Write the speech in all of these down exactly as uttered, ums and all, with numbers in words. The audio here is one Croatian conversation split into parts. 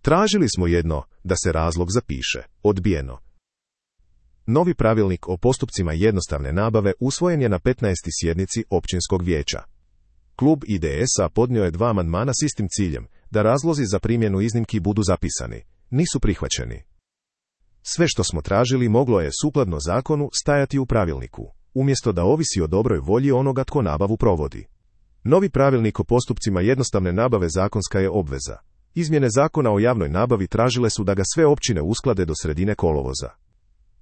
Tražili smo jedno, da se razlog zapiše, odbijeno. Novi pravilnik o postupcima jednostavne nabave usvojen je na petnaestoj sjednici općinskog vijeća. Klub I D S-a podnio je dva amandmana s istim ciljem, da razlozi za primjenu iznimki budu zapisani. Nisu prihvaćeni. Sve što smo tražili moglo je, sukladno zakonu, stajati u pravilniku, umjesto da ovisi o dobroj volji onoga tko nabavu provodi. Novi pravilnik o postupcima jednostavne nabave zakonska je obveza. Izmjene zakona o javnoj nabavi tražile su da ga sve općine usklade do sredine kolovoza.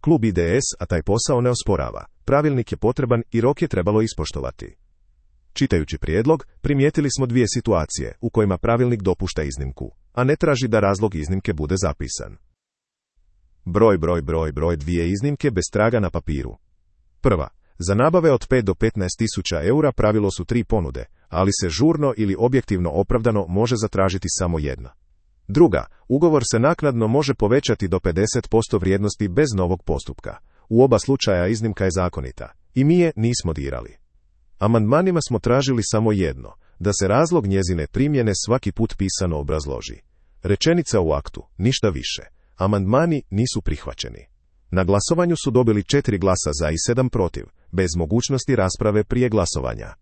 Klub I D S, a taj posao ne osporava. Pravilnik je potreban i rok je trebalo ispoštovati. Čitajući prijedlog, primijetili smo dvije situacije u kojima pravilnik dopušta iznimku, a ne traži da razlog iznimke bude zapisan. Broj, broj, broj, broj dvije iznimke bez traga na papiru. Prva. Za nabave od pet do petnaest tisuća eura pravilo su tri ponude, ali se žurno ili objektivno opravdano može zatražiti samo jedna. Druga. Ugovor se naknadno može povećati do pedeset posto vrijednosti bez novog postupka. U oba slučaja iznimka je zakonita. I mi je nismo dirali. Amandmanima smo tražili samo jedno, da se razlog njezine primjene svaki put pisano obrazloži. Rečenica u aktu, ništa više. Amandmani nisu prihvaćeni. Na glasovanju su dobili četiri glasa za i sedam protiv, bez mogućnosti rasprave prije glasovanja.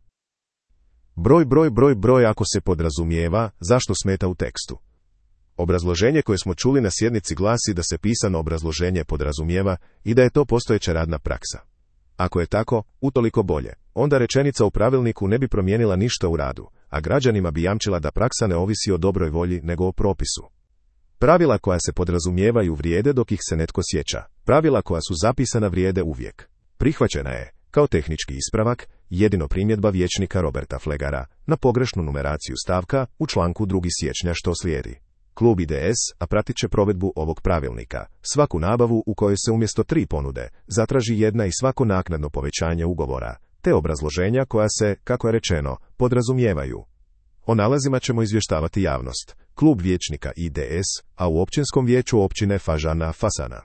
Broj, broj, broj, broj ako se podrazumijeva, zašto smeta u tekstu. Obrazloženje koje smo čuli na sjednici glasi da se pisano obrazloženje podrazumijeva i da je to postojeća radna praksa. Ako je tako, utoliko bolje. Onda rečenica u pravilniku ne bi promijenila ništa u radu, a građanima bi jamčila da praksa ne ovisi o dobroj volji nego o propisu. Pravila koja se podrazumijevaju vrijede dok ih se netko sjeća. Pravila koja su zapisana vrijede uvijek. Prihvaćena je, kao tehnički ispravak, jedino primjedba vijećnika Roberta Flegara na pogrešnu numeraciju stavka u članku drugog siječnja što slijedi. Klub I D S, a pratit će provedbu ovog pravilnika, svaku nabavu u kojoj se umjesto tri ponude zatraži jedna i svako naknadno povećanje ugovora, te obrazloženja koja se, kako je rečeno, podrazumijevaju. O nalazima ćemo izvještavati javnost. Klub vijećnika I D S, a u općinskom vijeću općine Fažana Fasana.